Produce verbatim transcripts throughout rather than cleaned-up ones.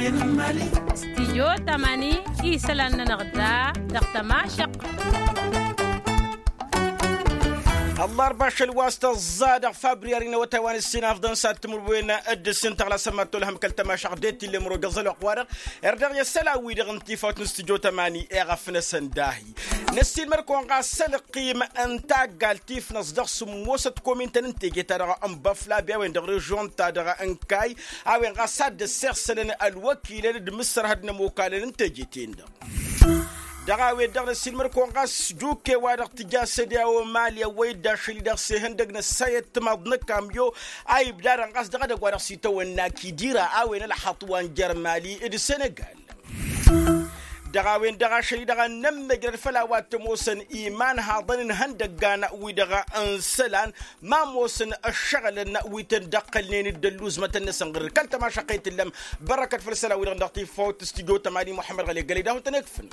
Stijyo tamani isălan-nănăɣ da dăɣ-tămašăɣt. Ăllarba ašăl wa s-tăẓẓa dăɣ-fabriyari n-awătay wa n-ǝssin afḍăn s-ad-timǝrwen d-ǝssin tăɣlasăn mad-tolhăm kăl-tămašăɣt d-e t-illa imro găẓăl oqq-wa-dăɣ. Erdăɣ i-asălan-wi-dăɣ n-tifawt n-stijyo tamani eɣăf-năsăn dahi năssiilmăr-kăwăn ɣas s-ălqim n-taggalt tifnăẓ dăɣ-sǝmmosăt komintăn n-teje-ta-dăɣ n-băflabi a-wen dăɣ-režion-ta-dăɣ n-kay a-wen ɣas ad-dd-ăssexsălăn ălwăkilăn d-imǝssărhăd n-ămokalăn n-teje-ten-dăɣ. Dăɣ-a-wen-dăɣ năssiilmăr-kăwăn ɣas duke-wa-dăɣ tǝja s-ădǝy a-wa mali ăwwăy-dd ašăl-i-dăɣ s-ihăndăg n-ăssayăt timaḍ n-ăkkamyo a ibdadăn ɣas dăɣ-edăgg wa dăɣ-s itawănna kidira a-wen ălxaṭ wa n-jer-mali d-senegal. Dăɣ-a-wen-dăɣ ašăl-i-dăɣ a n-nămmăjrăd făll-a-wa t-ămoosăn imanhaḍăn n-ihăndăggan-wi-dăɣ n-isălan ma ămoosăn ăššăɣǝlăn wi tăn-dd-ăqqălnen d-ălluuzmătăn-năsăn ɣǝr-dd kăl-tămašăɣt i-tǝllăm. Bărrăkăt făll-isălan-wi-dăɣ dăɣ-tifawt stijyo tămani muḥămmăd ɣăli gălăy d-ahun-tăn-ikfǝn.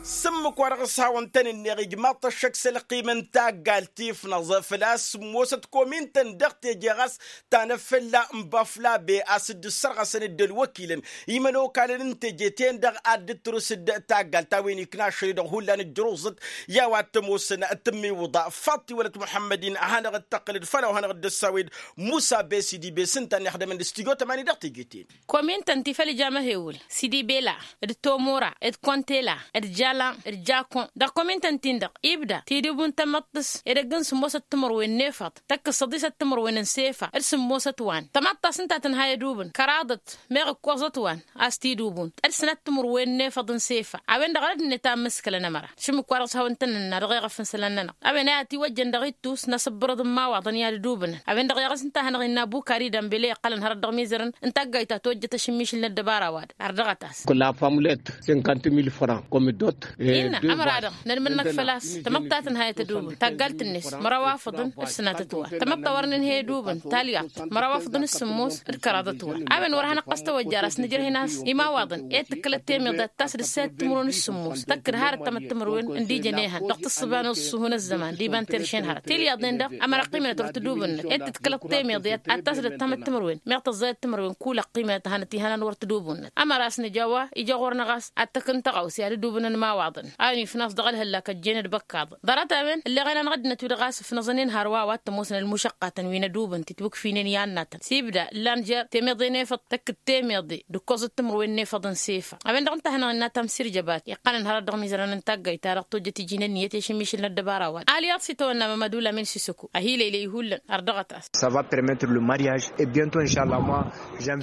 S-ǝmmǝk wa dăɣ-s hawăn-tăn-ǝnneɣ ijmaḍ-t ăššăk s-ălqim n-taggalt tifnăẓ făl-a-s ămoosăt komin-tăn dăɣ-teje ɣas tanăffălla n-băflabe a-s dd-ǝssărɣăsăn dd-ălwăkilăn imănokalăn n-teje-ten-dăɣ ad-dd-tǝrǝs d-taggalt a-wen ikna ašăl-i-dăɣ hullan ǝjjăruẓăt i-a-wa t-ămoosăn tǝmmiwǝḍa faḍt-i wălăt muḥămmăd-in a hanăɣ-dd-tăqqǝlăd făll-a-wa hanăɣ-dd-ăssawed musa besidi be s-ǝnta a n-ixdămăn d-stijyo tămani dăɣ-teje-ten. Komin-tăn ti făll-ija măhewǝl sidi bela d-tomora d-kontela d-jalan d-jakon dăɣ-komin-tăn-tin-dăɣ ibda tidǝbun tamăḍt-s edăgg n-sǝmmosăt timǝrwen n-efăḍ tăkk-s săḍisăt timǝrwen n-sefa d-sǝmmosăt wa n-tamăḍt ta s-ǝnta a tǝnha i-edubǝn kăraḍăt meɣ ǝkkoẓăt wa n-a-s t-idubun d-sănăt timǝrwen n-efăḍ n-sefa. A-wen-dăɣ rădd-net a ǝmmǝskălăn ămăra šǝmmǝk-wa-dăɣ s-hawăn-tăn-nǝnna dăɣ-eɣăf n-isălan-nănăɣ a-wen a i-ătiwăjjăn dăɣ-ittus n-asǝbbărăḍ n-imawaḍăn i-ad-ǝdubǝnăn a-wen-dăɣ i-aɣǝs ǝnta a hanăɣ-innă bukari d-ambele iqqălăn hărăt dăɣ-imizărăn n-taggayt ta tojjăt ašǝmmišǝl n-ăddăbara-wa-dăɣ. Ardăɣăt-as. Kăla famlet cinquante mille francs comme dot. Innă ămăra-dăɣ nănmǝnnăk făl-a-s tamăḍt ta tǝnhayăt ădubǝn taggalt-net măraw afǝḍăn d-sănatăt wa tamăḍt ta wăr nǝnhăy ădubǝn talyaḍt măraw afǝḍăn d-sǝmmos d-kăraḍăt wa. A-wen wăr hanăɣ-ɣas tawăjja ar asnǝjrăh-in a-s imawaḍăn i-dd-tǝkkălăt temyăḍe ad-tasdǝssayăt timǝrwen d-sǝmmos tăkk-dd harăt tamăḍt timǝrwen ǝndijăn ehăn dăɣ-tǝssǝba n-ăṣṣuhu n-ăzzăman d-iba n-terše n-hărăt tilyaḍen-dăɣ ămăra ăqqimnăt wăr tǝdubǝnnăt i-dd-tǝkkălăt temyăḍe ad-tasdăt tamăḍt timǝrwen meɣ tăẓẓayăt timǝrwen kul ăqqimnăt a hanăt-ihănan wăr tǝdubǝnnăt. Ămăra a-s nǝja a-wa ija ɣur-năɣ a-s ad-t-ăkk n-tăɣawse ad-dd-ubǝnăn imawaḍăn a-wen ifnas dăɣ-ălhăllak ăjjeen d-băkkaḍăn ḍarăt a-wen ǝlleɣ-en anăɣ-ăddinăt wi-dăɣ a-s ǝfnăẓăn-in hărwa a-wa t-ămoosăn ălmušăqqatăn wi n-ădubǝn titwǝkfinen i-annatăn s-ibda ǝllan jer-temeḍe n-efăḍ tăkk-dd temeḍe d-ǝkkoẓăt timǝrwen n-efăḍ n-sefa. A-wen-dăɣ ǝnta a hanăɣ-innă tamsirjăbat iqqălăn hărăt dăɣ-imizărăn n-taggayt-ta-dăɣ tojjăt iji n-ǝnniyăt i-ašǝmmišǝl n-ăddăbara-wa-dăɣ alyaḍ s-itawănna mămădula min sisăko. Ahilăylăy hullan ărdăɣăt-as. Ça va permettre le mariage et bientôt inšalla moi.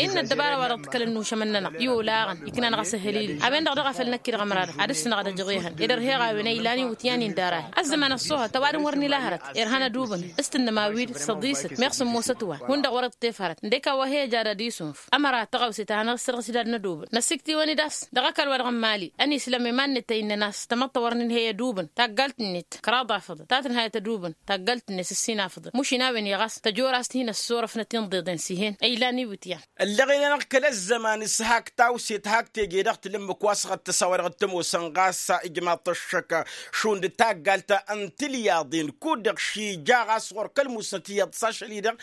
Innă ăddăbara-wa-dăɣ tǝkkălăn nušămăn-nănăɣ i-olaɣăn iknan ɣas ăhălil. A-wen-dăɣ dăɣ-a făl năkk-i-dăɣ ămăra-dăɣ ad-ǝssǝnăɣ ad-ăjăɣ ehăn ed ărheɣ a-wen a ilan iwǝtyan-in d-ara-hi ăzzăman ăṣṣoohăt ăwadǝm wăr n-ila hărăt. Irhan ădubǝn s-tǝnnǝm a-wi-dd săḍisăt meɣ sǝmmosăt wa hundăɣ wăr-iṭṭef hărăt ǝndek a-wa he-ăj ad-ad-isunf. Ămăra tăɣawse ta hanăɣ-issărɣǝs-dd ad-nădubǝn năsikt'-iwăn-dd a-s dăɣ-ăkall-wa-dăɣ n-mali ănisǝlăm iman-net a innăn a-s tamăḍt ta wăr nǝnhăy ădubǝn taggalt-net kăraḍ afăḍăn ta tǝnhayăt ădubǝn taggalt-net ǝssin afăḍăn mušin a-wen-i ɣas tăjor a-s t-hin-ăssurăfnăt inḍeḍen s-ih'-en a ilan iwǝtyan. Ălleɣen-anăɣ kăl-ăzzăman s-hak tawset hak teje dăɣ-tǝlǝmmǝk wa s-ɣăttăs a-wa dăɣ-t-ămoosăn ɣas ijmaḍ-t ăššăk šund taggalt n-tilyaḍen kud-dăɣ šija ɣas ɣur-kăl-musnăt iyyăḍ s-ašăl-i-dăɣ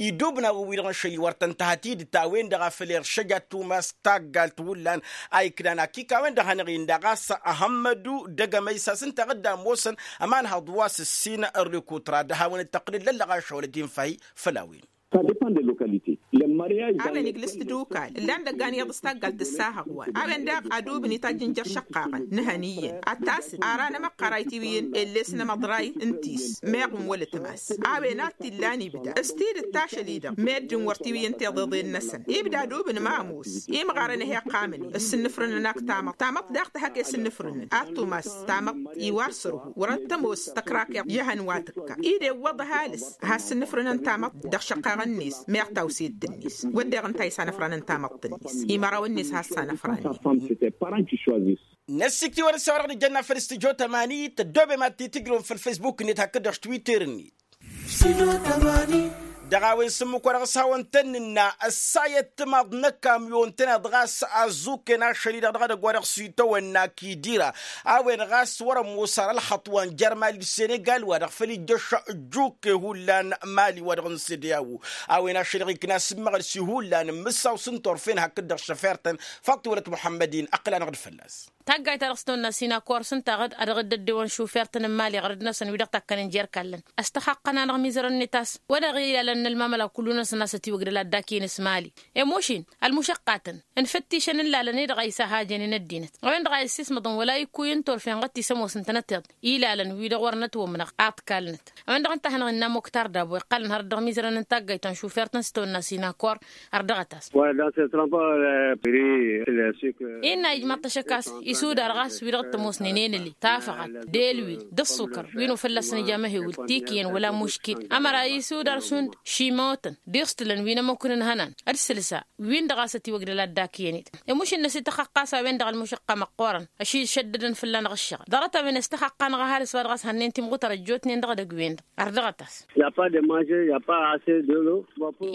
idubna wǝwwi-dăɣ n-ašăl-i wăr tăn-tăhăt idǝt a-wen-dăɣ a făl iršăj ad-tumas taggalt hullan a iknan akik a-wen-dăɣ hanăɣ-inna ɣas ahămmădu dăgg-emăy s-a-s ǝnta a dd-ămoosăn ămanhăḍ wa s-ǝssin ărrikutra d-hawăn-dd-tăqqǝlăd lăllăɣ ašăwălăt infa-hi făll-a-wen. A-wen igǝlǝs-t d-ukal ǝllan dăggan iyyăḍ s-taggalt tǝssahăɣ wa n-a-wen daɣ ad-ubǝn itajj n-jer-išăqqaɣăn nǝhăn iyyăn ad-tasǝd ara n-emăqqăray tiwǝyǝn elles n-emăḍray n-tis meɣ n-wăla ătmas. A-wen ad-t-illan ibda s-tidǝt tašăl-i-dăɣ meddǝn wăr tiwǝyǝn tiḍeḍen-năsăn ibda ad-ubǝn ma ămoos imɣarăn a he-ăqqamăn s-sǝnnǝfrǝnăn ak tamăḍt tamăḍt daɣ tăhăke s-sǝnnǝfrǝnăn ad-tumas tamăḍt iwar sărhu wăr-ăttămos tăkrakeḍt i-hăn wa tǝkka ide iwwăḍ ăhalǝs. Has-sǝnnǝfrǝnăn tamăḍt dăɣ-išăqqaɣăn-net meɣ tawset-net wădden ǝnta a isanăfranăn tamăḍt-net imărawăn-net has-sanăfranen. Năssikt'-i-wăn ǝssa wa dăɣ-nǝjjănna făll-studyo tămani tăddoobem ad-t-tǝjrǝwăm făll-facebook-net hakd-dăɣ s-twitter-net. Studyo tămani. Dăɣ-a-wen s-ǝmmǝk-wa-dăɣ s-hawăn-tăn-nǝnna ăssayăt timaḍ n-ăkamyon-tăn-dd ɣas azzuken ašăl-i-dăɣ dăɣ-edăgg wa dăɣ-s itawănna kidira. A-wen ɣas wăr-ămm osar ălxăṭṭ wa n-jer-mali d-senegal wa-dăɣ făl ijjăš ăjjuke hullan mali wa-dăɣ n-sede a-wo. A-wen ašăl-i-dăɣ ikna s-ǝmmăɣăl s-ihullan n-imǝssaw s-ǝnta orfen hakd-dăɣ šăfer-tăn. Faḍt-i wălăt muḥămmăd-in ăqqǝl-anăɣ-dd fălla-s. Taggayt-ta-dăɣ s-tăwănna sinakor s-ǝnta a ɣǝd-ăddăwăn šufer-tăn n-imali ɣărăd-năsăn wi-dăɣ takkănen jer-ikallăn. Ăstăxaqqăn-anăɣ imizărăn-net a-s wăla ɣilalăn n-ălmamăla kullu-năsăn a-s ătiwăgdăl ad-dd-akǝyăn s-mali. Ămošin ălmušăqqatăn ǝnfăttišăn n-ilalăn-i-dăɣ a isahajăn inăddinăt a-wen-dăɣ a issismăḍăn wăla ikkuy ǝnta orfen ɣăt-tisămoosăn tănăteḍ ilalăn wi-dăɣ wăr nătwămnăɣ. Aḍkal-năt a-wen-dăɣ ǝnta a hanăɣ-innă muktar dabo iqqalăn hărăt dăɣ-imizărăn n-taggayt ta n-šufer-tăn s-tăwănna sinakor. Ărdăɣăt-as. Innă ijmaḍ-t ăššăk a-s isudar ɣas wi-dăɣ t-ămoosnen enăli tafăɣalt d-elwil d-ǝṣṣukăr wi n-ofălla s-nǝja măhewǝl tikǝyăn wăla muškil. Ămăra isudar šund šimotăn d-iṣtǝlăn wi n-ămmukǝn n-ihănan d-sǝlsa wi-dăɣ a-s ătiwăgdăl ad-dd-akǝyăn-dd. Ămušǝnnăs ităxăqqa a-s a-wen-dăɣ ălmušăqqa măqqoorăn ăššăddădăn fălla-năɣ ǝššăɣǝl ḍarăt-a-wen ăstăxăqqa-năɣ ăhalǝs wa dăɣ-s hănnen timɣutăr ăjjootnen dăɣ-edăgg-wen-dăɣ. Ărdăɣăt-as.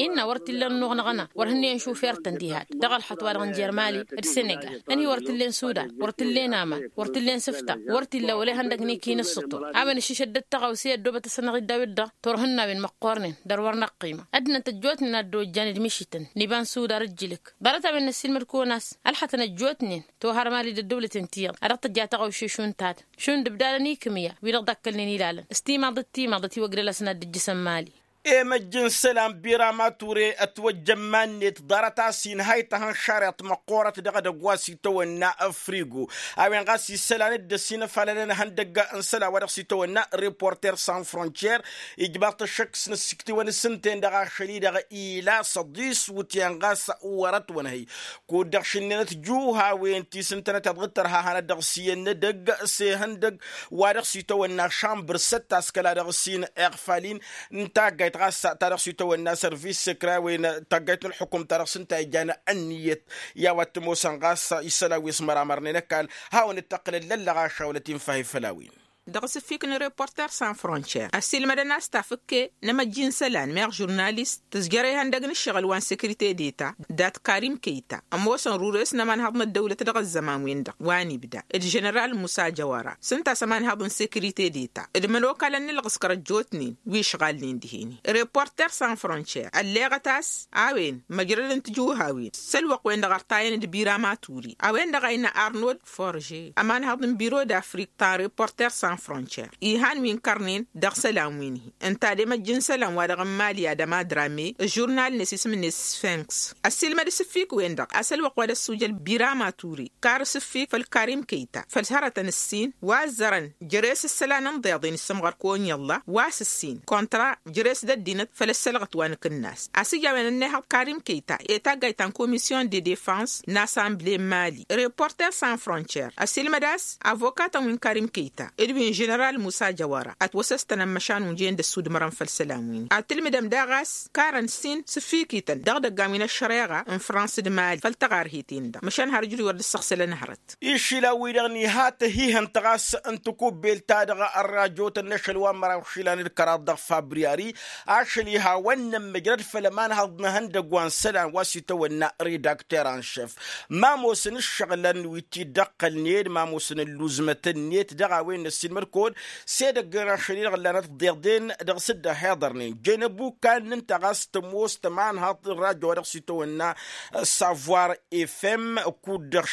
Innă wăr t-illa ănnuɣ n-aɣăna wăr hǝnneyăn šufer-tăn diha-dd dăɣ-ălxăṭṭ wa dăɣ-n jer-mali d-senegal ănhi wăr t-illa n-sudan wăr t-illa n-aman wăr t-illa n-sǝfta wăr t-illa wăla ihăndăg n-ikin ǝssǝṭṭur. A-wen ǝššǝšăddăt tăɣawse ăddoobăt-asăn-dăɣ iddaw-dd-dăɣ turhǝnnawen măqqoornen dăr-wăr n-ăqqima ăddinăt ăjjootnen a dd-ojjan d-mišităn n-iba n-sudar ǝjjǝlǝk. Ḍarăt-a-wen năssiilmăd-kăwăn a-s ălxătăn ăjjootnen toharmali d-ăddăwlăten ti-iyyăḍ a dăɣ-tǝjja taɣawše šund ta-dăɣ šund ǝbdadăn ikǝmǝya wi-dăɣ dd-akkălnen ilalăn s-timaḍ d-timaḍ ătiwăgdăl-asăn ad-dd-ǝjjǝsăn mali. Emăjj n-isălan birama ture ătwăjja iman-net ḍarăt a-s inha ităhăn šariḍt măqqoorăt dăɣ-edăgg wa s-itawănna frigo. A-wen ɣas isălan dd-ăsinăfalălăn ihăndăgg n-isălan wa dăɣ-s itawănna reporter sans frontier ijmaḍ-t ăššăk s-inǝssiktiwăn s-ǝnta-en-dăɣ ašăl-i-dăɣ ila săḍis wǝtyan ɣas wăr-ătwănhăy. Kud-dăɣ šǝnnenăt juhawen ti s-ǝntănăteḍ ɣǝttărha hanăt-dăɣ s-iyyăn n-edăgg s-ehăndăgg wa dăɣ-s itawănna šambăr săt-taskăla dăɣ-s-in iɣfalin n-taggayt ɣas ta dăɣ-s itawănna sărvis sekra a-wen taggayt n-ălxukum ta dăɣ-s ǝnta a ijan ănniyăt. I-a-wa t-ămoosăn ɣas isălan wi s-măramărnen ăkall hawăn-dd-tăqqǝlăn lăllăɣ ašawlăt infahi făll-a-wen. Dăɣ-asǝfik n-reporter sans frontier ăssiilmădăn a-s tafǝkke n-emăjji n-isălan meɣ žurnalist tǝzjăr ihăndăg n-ǝššăɣǝl wa n-sekirite deta dat-karim keyta ămoosăn rures n-ămanhăḍ n-ăddăwlăt dăɣ-ăzzăman-wen-dăɣ wa n-ibda d-ženeral musa jăwara s-ǝnta a-s ămanhăḍ n-sekirite deta d-imănokalăn n-ǝlɣǝskăr ăjjootnen wi ǝšɣalnen dihen-i. Reporter sans frontier ălleɣăt a-s a-wen măjrădăn tijuhawen s-ălwăqq-wen-dăɣ ărtayăn d-bira maturi a-wen-dăɣ a innă arnold forge ămanhăḍ n-biro d-afrik ta n-reporter sans frontier ihan wi n-kărnen dăɣ-isălan wi n-hi ǝnta d-emăjj n-isălan wa dăɣ-n mali adăma drame ăžurnal-net isǝm-net sfinks. Ăssiilmăd asǝffik-wen-dăɣ a-s ălwăqq wa d-ăssujăl birama ture kar asǝffik făll-karim keyta făll-hărătăn ǝssin wa ăzzărăn jere-s isălan n-iḍeḍen issǝmɣăr kăwăn-iyyălla wa s-ǝssin kontra jere-s d-ăddinăt făll-ăssălɣăt wa n-akǝnnas. A-s ija a-wen ănnihăḍ karim keyta i-taggayt ta n-komisyon de defans n-asamble n-mali reporter sans frontier ăsilmăd a-s avokatăn wi n-karim keyta d-wi n-ženeral musa jăwara ătwăsăstănăn măšan unjăyăn d-ăssudmărăn făll-isălan wi-ni ad-tǝlmǝdăm daɣ a-s karăn sin s-ǝffikităn dăɣ-idăggan wi n-ăššăreɣa n-frans d-mali făll-tăɣarheten-dăɣ măšan har ǝjrǝy wăr dd-săɣsălăn hărăt. Išila-wi-dăɣ n-iha tăhihănt ɣas n-tikubbelt-ta-dăɣ ărrajotăn n-ašăl wa n-măraw išilan d-kăraḍ dăɣ-fabriyari ašăl iha wănnăn măjrăd făll-ămanhăḍ n-ihăndăgg wa n-isălan wa s-itawănna redakter n-šef. Ma ămoosăn ǝššăɣǝlăn wi t-dd-ăqqălnen ma ămoosăn ălluzmătăn-net dăɣ-a-wen n-ăssiilmăd kăwăn s-edăgg n-ašăl-i-dăɣ ǝllanăt ḍeḍen dăɣ-s dd-ăhiḍărnen jănăbu kannǝn-ta ɣas tămoos tămanhăḍt n-rajo wa dăɣ-s itawănna savoir efem kud-dăɣ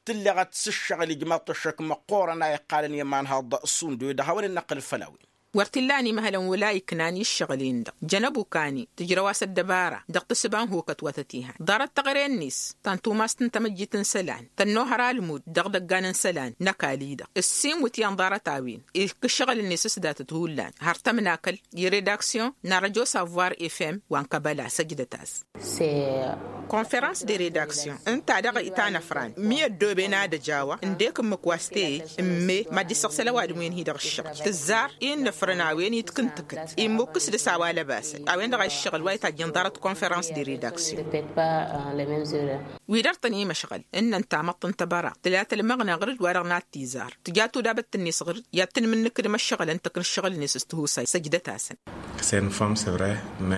tǝlleɣăt s-ǝššăɣǝl ijmaḍ-t ăššăk măqqoorăn a iqqalăn i-ămanhăḍ šund wi-dăɣ hawăn-dd-năqqǝl făll-a-wen. Wăr t-illa ănimăhălăn wăla iknan i-ǝššăɣǝl-en-dăɣ jănăb ukani tǝjrăw-as ăddăbara dăɣ-tǝssǝba n-hokăt wa tăt-iha ḍarăt taɣre-net ta n-tumas n-tamăjjit n-isălan tănnuhăr almud dăɣ-idăggan n-isălan n-ăkall-i-dăɣ ǝssin wǝtyan ḍarăt-a-wen ikk ǝššăɣǝl-net s-datăt hullan har tămnakăl i-redaksyon n-arăjo savoir efem wa n-kăbăla săjdăt-as. S-e Konferans de redaksyon ǝnta-dăɣ itanăfran mi ăddooben ad-ăj a-wa ǝndek ǝmmǝk wa s-teyăj ǝmme mad-dd-issăɣsăl ăwadǝm-wen-hi dăɣ-ǝššăɣǝl tǝzzar i n-inăfrăn a-wen itkǝntǝkǝt immukkǝs dăr-s a-wa lăbasăn a-wen-dăɣ a iššăɣǝl wa itajjăn ḍarăt konferans de redaksyon. Wi dăr-tăn imăšɣăl ǝnnăn tamăḍt n-tăbăra tǝla tălmăɣna ɣǝr-dd wa-dăɣ n-ad-t-izar tǝja tudabăt-net ɣǝr-dd i-ad-tǝnmǝnnǝkǝdăm ăššăɣǝlăn tǝkna ăššăɣǝl-net s-tihusay săjdăt-asăn.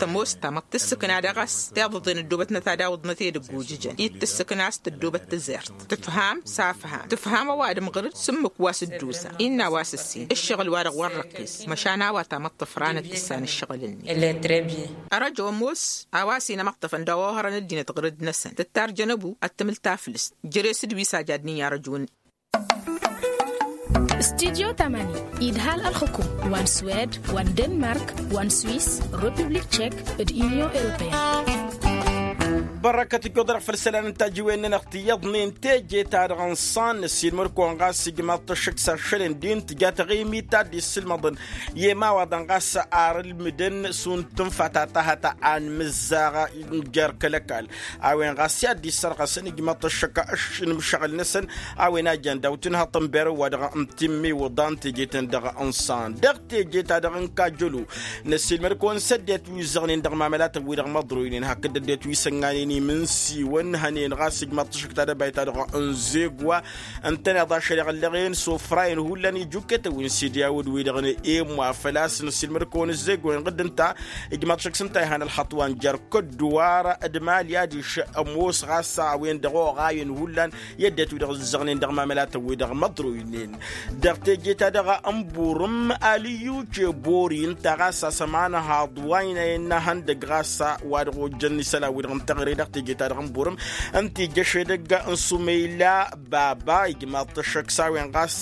Tămoos tamăḍt tǝssǝkna dăɣ-s tiḍǝḍen ăddoobătnăt ad-awǝḍnăt edăgg ujǝjăn-i d-tǝssǝkna a-s tăddoobăt tǝzert tǝfham s-afham tǝfham ăwadǝm ɣǝr-dd s-ǝmmǝk wa s-dd-usa innă a-wa s-ǝssin ǝššăɣǝl-wa-dăɣ wăr răqqis măšan a-wa tamăḍt tǝfranăt tǝssan ǝššăɣǝl-net. Ărăjo ămoos a-wa s-inămăṭṭăfăn dăɣ-ohărăn ăddinăt ɣǝr-dd-năsăn tǝttarjăn ăbu ad-tǝmǝl taflǝst. Jere-s d-wi s-ajadnen i-arăjun. Studyo tamani idhal ălxukum wa n-swed wa n-denmark wa n-swiss, republik tchek d-union europeyăn. Bărăkăt ǝjjoḍ-dăɣ făll-isălan n-tajiwen-nănăɣ tiyyăḍnen teje-ta-dăɣ n-iṣṣan năssiilmăd-kăwăn ɣas ijmaḍ-t ăššăk s-ašăl n-din tǝja taɣimit ta dd-issǝlmăḍăn i-imawaḍăn ɣas ar ǝlmǝdăn šund tǝnfa ta tahăt a n-imǝzzaɣ n-jer-kăl-ăkall a-wen ɣas i-ad-dd-issărɣăsăn ijmaḍ-t ăššăk ǝššǝnǝm ǝššăɣǝl-năsăn. A-wen a jan daw tǝnhăḍ n-berăw wa dăɣ-n timmiwǝḍan teje-ten-dăɣ n-iṣṣan dăɣ-teje-ta-dăɣ n-kajjălu. Năssiilmăd-kăwăn s-ăddinăt wi ǝzzăɣnen dăɣ-imamelatăn-wi-dăɣ măḍroynen hakd ăddinăt wi s-ănnaynen imǝnsiwăn hănen ɣas ijmaḍ-t ăššăk tadăbayt-ta-dăɣ n-zegwa ǝntăneḍ ašăl iɣǝllăɣen s-ofrayen hullan ijuketăn wi n-sidiyawǝd-wi-dăɣ n-emwa făl-a-s năssiilmăd-kăwăn ǝzzegwen ɣǝdd ǝnta. Ijmaḍ-t ăššăk s-ǝnta ihăn ălxaṭṭ wa n-jer-kădduwar d-imali adiš ămoos ɣas a-wen-dăɣ oɣayen hullan i-ăddinăt wi-dăɣ ǝzzăɣnen dăɣ-imamelatăn wi-dăɣ măḍroynen. Dăɣ-teje-ta-dăɣ n-burǝm alǝyyuce bori ǝnta ɣas a-s ămanăhaḍ wa ina innă ihăndăgg ɣas wa dăɣ-ojjăn isălan-wi-dăɣ n-teɣăre dăɣ-teje-ta-dăɣ n-burǝm ǝnta ija šedăgg n-sumăyla baba ijmaḍ-t ăššăk s-a-wen ɣas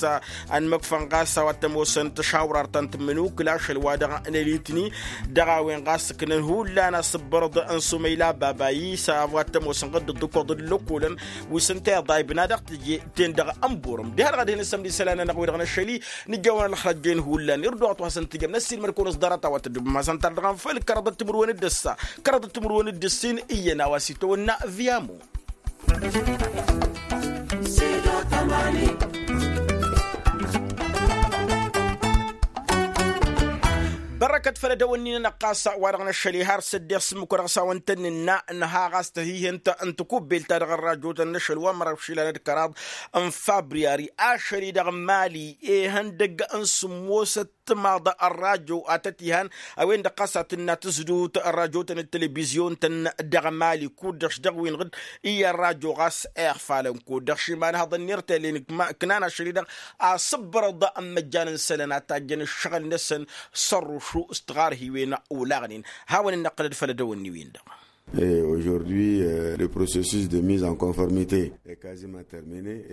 ănmăkfăn ɣas a-wa t-ămoosăn tăšawrar ta n-tǝmmǝnukǝl ašăl wa dăɣ-nălitni. Dăɣ-a-wen ɣas ǝknăn hullan asǝbbărăḍ n-sumăyla baba isa a-wa t-ămoosăn ɣǝdd ǝḍḍǝkoḍ d-lăkolăn wi s-ǝnta iḍaybna dăɣ-teje-ten-dăɣ n-burǝm diha-dăɣ ad-hin-ǝssămd isălan-nănăɣ wi-dăɣ năššăl-i. Nǝjjăwăn ălxăjjen hullan irduɣăt wa s-ǝntǝjăm năssiilmăd-kăwăn s-ḍarăt a-wa tăddǝbăm ma s-ănta-dăɣ dăɣ-anfăl kăraḍăt timǝrwen d-ǝssa kăraḍăt timǝrwen d-ǝssin iyyăn a-wa s-itawănna. Viamo. Bărăkăt făll-edăwănni-nănăɣ ɣas wa-dăɣ năššăl ihar s-ăddeɣ s-ǝmmǝk wa dăɣ-s a-wăn tăn-nǝnna nǝha ɣas tăhihent n-tǝkubbelt-ta-dăɣ n-rajo-tăn n-ašăl wa n-măraw išilan d-kăraḍ n-fabriyari. Ašăl-i-dăɣ n-imali ihăndăgg n-sǝmmosăt timaḍ ărrajo a tăt-ihan a-wen-dăɣ ɣas a tǝnna tǝzdut ărrajo-tăn d-telebizyon-tăn dăɣ-mali kud-dăɣ-š dăɣ-wi n-iɣǝd iyyăn ărrajo ɣas iɣfalăn kud-dăɣ š-imanhăḍăn n-irtelen ǝknan ašăl-i-dăɣ. Asǝbbărăḍ n-imăjjan n-isălan a tajjăn ǝššăɣǝl-năsăn s-ărrušu s-tiɣarhiwen olaɣnen. Hawăn-dd-năqqǝlăd făll-edăwănni-win-dăɣ. Ožordi le procesus de mise en conformite.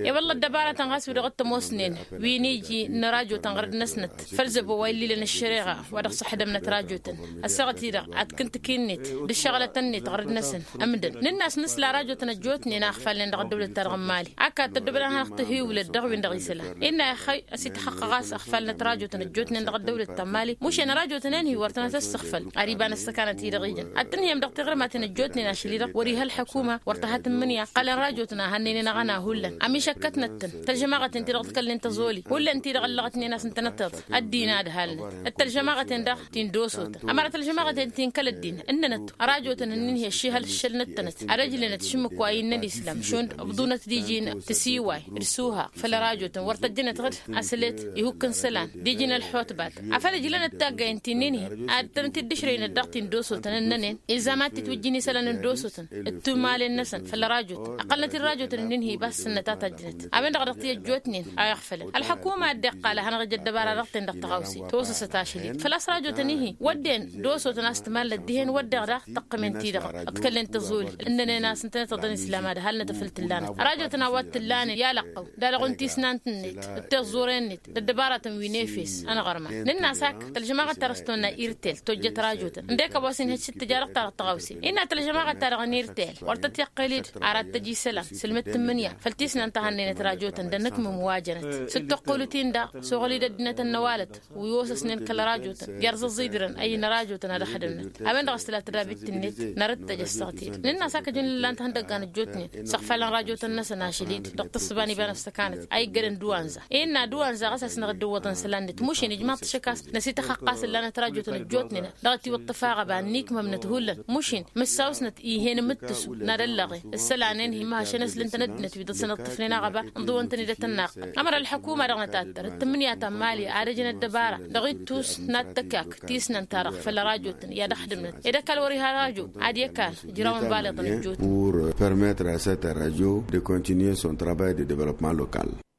E-wălla ăddăbarătăn ɣas wi-dăɣ t-ămoosnen wi n-iji n-rajo-tăn ɣărăd-năsnăt făll-zăbo wa illilăn ăššăreɣa wa dăɣ-săḥdămnăt rajo-tăn. Ăssaɣăt-i-dăɣ ad-kǝntǝk-in-net d-ǝššăɣlătăn-net ɣărăd-năsăn ǝmdăn nǝnn'-as nǝsla rajo-tăn ăjjootnen a ăɣfalnen dăɣ-ăddăwlăt-ta-dăɣ n-imali. Akka tăddobăd ad-hanăɣ-tăhiwǝlăd dăɣ-win-dăɣ isălan innă ixăy ăsitxăqqăɣ a-s ăɣfalnăt rajo-tăn ăjjootnen dăɣ-ăddăwlăt ta n-imali. Mušen rajo-tăn-en-hi wăr tănăt-ăssăɣfăl. Ar iba n-ăssăkanăt-i-dăɣ ijăn ad-tǝnhǝyăm dăɣ-tiɣrǝmaten ăjjootnen ašăl-i-dăɣ wăr-iha ălḥăkuma wăr tăha tǝmmǝnǝya. Ǝqqălăn rajo-tăn a hannăynen aɣăna hullan amišăkkătnăt-tăn tălžămaɣăten ti-dăɣ tǝkălnen tăẓoli hullan ti-dăɣ ăllăɣătnen a-s ǝntănăteḍ. Ăddin ad-halnăt d-tălžămaɣăten daɣ ti n-dosotăn ămăra tălžămaɣăten ti n-kăl-ăddin ǝnnănăt. Rajo-tăn ǝnnin-hi ăššihăl ǝššălnăt-tănăt ad-ăjlănăt šǝmmǝk wa innăn islam šund ǝbḍunăt d-iji n-tǝsiway d-suha. Făll-rajo-tăn wăr tăjjănăt ɣǝd asălet ihukk n-isălan d-iji n-ălxotbat. Afăl ǝjlănăt taggayen ti ǝnnin-hi ad-tănăt-dd-ǝšrăynăt dăɣ-ti n-dosotăn ǝnnănen. Ilzam ad-t-itwǝjjǝn isălan n-dosotăn d-tumalen-năsăn făll-rajo-tăn ăqqălnăt-dd rajo-tăn ǝnnin-hi bas s-ǝnnăt a tajjănăt. A-wen-dăɣ dăɣ-t-i-ăjjootnen a iɣfălăn ălḥăkuma a dd-iqqal ad-hanăɣ-ija ăddăbara dăɣ-ten-dăɣ tăɣawse tosăsăt ašăl-i-dăɣ făl-a-s rajo-tăn-i-hi wădden dosotăn a-s tǝmalnăt dihen wădden daɣ tăqqǝmen-ti-dăɣ ǝḍkălnen tăẓoli ǝnnănen a-s ǝntănăt iḍăn islam ad-halnăt afăl tǝllanăt rajo-tăn a-wa t-tǝllanen i-alăqqăw d-alăɣ-un tisnant-net d-tiẓẓuren-net d-ăddăbaratăn wi n-efes. Ănɣărman nǝnn'-as ak tălžămaɣăt ta dăr-s tonna irtel tojjăt rajotăn ǝndek a-wa s-inhăj s-dd-tǝja dăɣ-ta-dăɣ tăɣawse. Innă Tălžămaɣăt-ta-dăɣ n-irtel wăr tăt-iqqăl-dd arat tăj isălan sǝlmǝd tǝmmǝnǝya făll-tisnant a hănnăynăt rajotăn d-anǝkmǝm wa jănăt s-dd-tăqqulǝt-in daɣ s-oɣăl-dd ăddinăt ănnăwalăt wi osăsnen kăl-rajotăn jer-zăẓẓidrăn ăyyăn rajotăn ad-ăxdǝmnăt. A-wen-dăɣ a-s tǝla tădabit-net nărăt tăj ăssaɣ-t-dd nǝnn'-as akăjăn ǝllan-t ihăndăggan ăjjootnen s-ăɣfalăn rajotăn-năsăn ašăl-dd dăɣ-tǝssǝba n-iba n-ăssăkanăt a iggădăn d-wanza innă d-wanza ɣas a-s năɣ-dd-ǝwwăḍăn isălan-net mušin ijmaḍ-t šăk a-s năsităxăqqa s-ǝllanăt rajotăn ăjjootnen dăɣ-t-iwǝḍ tăfaɣăba ănnikmămnăt hullan mušin mǝssaw-snăt ih'-en imǝttǝsu n-ad-ăllăɣen ǝssălanen hi-mahăšăn ăslǝntăn ăddinăt wi dăɣ-săn ǝṭṭǝfnen aɣăba ǝnḍǝwăn-tăn-dd ad-tăn-naqqăl ămăra ălḥukuma-dăɣ nătattăr d-tǝmmǝnǝya ta n-mali ad-ăjăn ăddăbara dăɣ-ittus n-ad-tăkak tisnant-ta-dăɣ făll-rajotăn i-ad-ăxdǝmnăt ed ăkall wăr-iha rajo ad-i-ăkall ǝjrawăn baleḍăn ăjjootnen. Pour permettre à cette radio de continuer son travail de développement local.